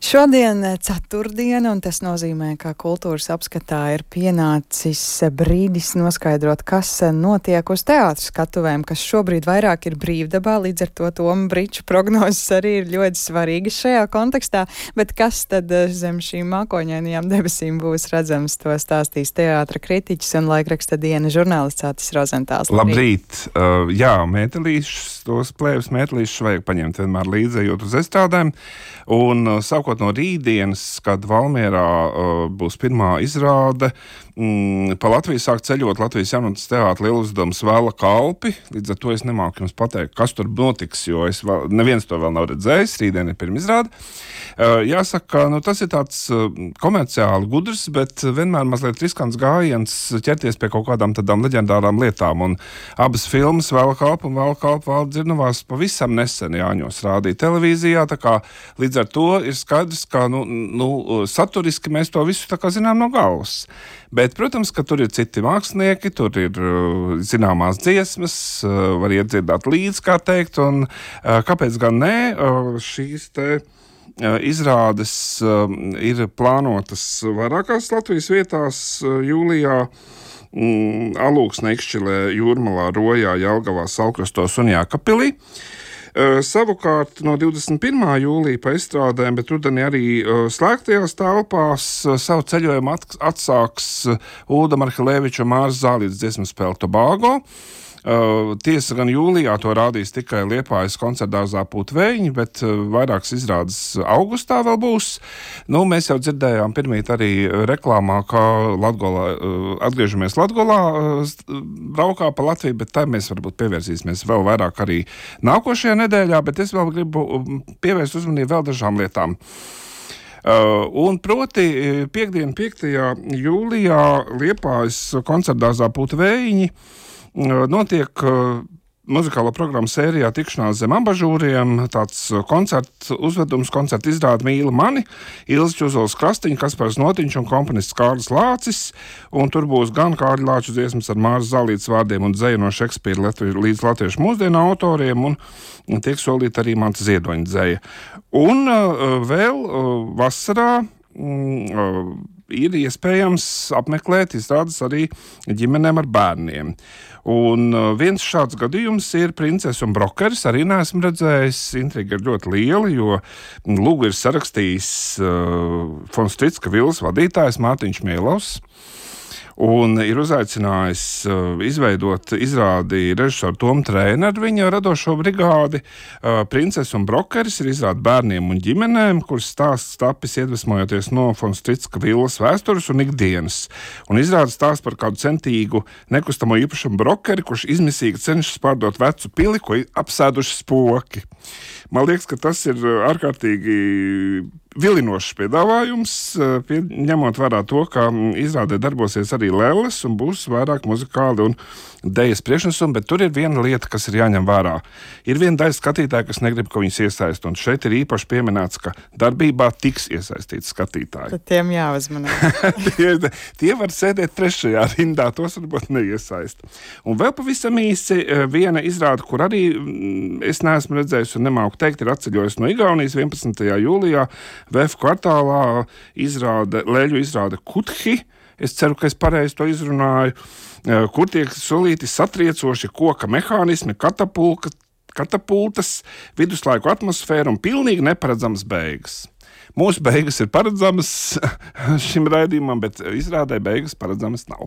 Šodien ceturtdiena, un tas nozīmē, ka kultūras apskatā ir pienācis brīdis noskaidrot, kas notiek uz teātras skatuvēm, kas šobrīd vairāk ir brīvdabā, līdz ar to Toma Briča prognozes arī ir ļoti svarīgas šajā kontekstā, bet kas tad zem šīm mākoņainajām debesīm būs redzams, to stāstīs teātra kritiķis un laikraksta Diena žurnālists Atis Rozentāls. Labrīt! Jā, mētelīšus, tos plēves mētelīšus vajag paņemt vienmēr līdzi, ejot uz estrādēm, un sākot no rītdienas, kad Valmierā būs pirmā izrāde, pa Latviju sāk ceļot Latvijas jaunatnes teātra lieluzdevums Vēla kalpi. Līdz ar to es nemāku jums pateikt, kas tur notiks, jo neviens to vēl nav redzējis. Rītdien ir pirmizrāde. Jāsaka, tas ir tāds komerciāli gudrs, bet vienmēr mazliet riskants gājiens ķerties pie kaut kādām tādām leģendārām lietām. Un abas filmas, Vēla kalpa un Vēla kalpa Valda Dzirnavās, pavisam nesen Jāņos rādīja televīzijā, tā kā līdz ar to ir skaidrs, ka saturiski mēs to visu tā kā zinām no galvas. Bet, protams, ka tur ir citi mākslinieki, tur ir zināmās dziesmas, var iedzirdāt līdz, kā teikt, un kāpēc gan ne, šīs te izrādes ir plānotas vairākās Latvijas vietās jūlijā, Alūksne, Ikšķilē, Jūrmalā, Rojā, Jelgavā, Salkrastos un Jākapilī. Savukārt no 21. jūlija pa izstrādēm, bet rudenī arī slēgtajās telpās savu ceļojumu atsāks Ulda Marhelēviča un Māras Zālītes dziesmu spēle Tobago. Tiesa gan jūlijā to rādīs tikai Liepājas koncertdārzā Pūtveļņi, bet vairākas izrādes augustā vēl būs. Mēs jau dzirdējām pirmīt arī reklāmā, ka atgriežamies Latgolā, braukā pa Latviju, bet tā mēs varbūt pievērsīsimies vēl vairāk arī nākošajā nedēļā, bet es vēl gribu pievērst uzmanību vēl dažām lietām. Un proti, piekdien 5. jūlijā Liepājas koncertdārzā Pūtveļņi notiek muzikālo programmu sērijā Tikšanās zem abažūriem, tāds koncerta izrāde Mīli mani, Ilze Čuzols Krastiņa, Kaspars Notiņš un komponists Kārlis Lācis, un tur būs gan Kārļa Lāča dziesmas ar Māras Zālītes vārdiem un dzeju no Šekspīra līdz latviešu mūsdienu autoriem, un tiek solīta arī Manta Ziedoņa dzeja. Un vēl vasarā ir iespējams apmeklēt izrādes arī ģimenēm ar bērniem. Un viens šāds gadījums ir Princese un brokeris, arī neesmu redzējis, intriga ir ļoti liela, jo lūgu ir sarakstījis Fons Tricka Vilas vadītājs Mārtiņš Mielovs, un ir uzaicinājis izveidot izrādi režisoru Tomu Trēnu ar viņa radošo brigādi. Princese un brokeris ir izrāde bērniem un ģimenēm, kuras stāsts tapis iedvesmojoties no Fons Tricka Vilas vēstures un ikdienas. Un izrāde stāsts par kādu centīgu nekustamo īpašumu brokeri, kurš izmisīgi cenšas pārdot vecu pili, ko apsēduši spoki. Man liekas, ka tas ir ārkārtīgi vilinošs piedāvājums, ņemot vērā to, ka izrādē darbosies arī lelles un būs vairāk muzikāli un dejas priekšnesumi, bet tur ir viena lieta, kas ir jāņem vērā. Ir viena daļa skatītāja, kas negrib, ka viņus iesaist, un šeit ir īpaši pieminēts, ka darbībā tiks iesaistīti skatītāji. Tad tiem jāuzmanās. Tie var sēdēt trešajā rindā, tos varbūt neiesaist. Un vēl pavisam īsi viena izrāde, kur arī es neesmu redzējis un nemāku teikt, ir atceļojis no Igaunijas 11. jūlijā VF kvartālā leļu izrāde Kuthi. Es ceru, ka es pareizi to izrunāju, kur tiek solīti satriecoši koka mehānismi, katapultas, viduslaiku atmosfēra un pilnīgi neparedzamas beigas. Mūsu beigas ir paredzamas šim raidījumam, bet izrādē beigas paredzamas nav.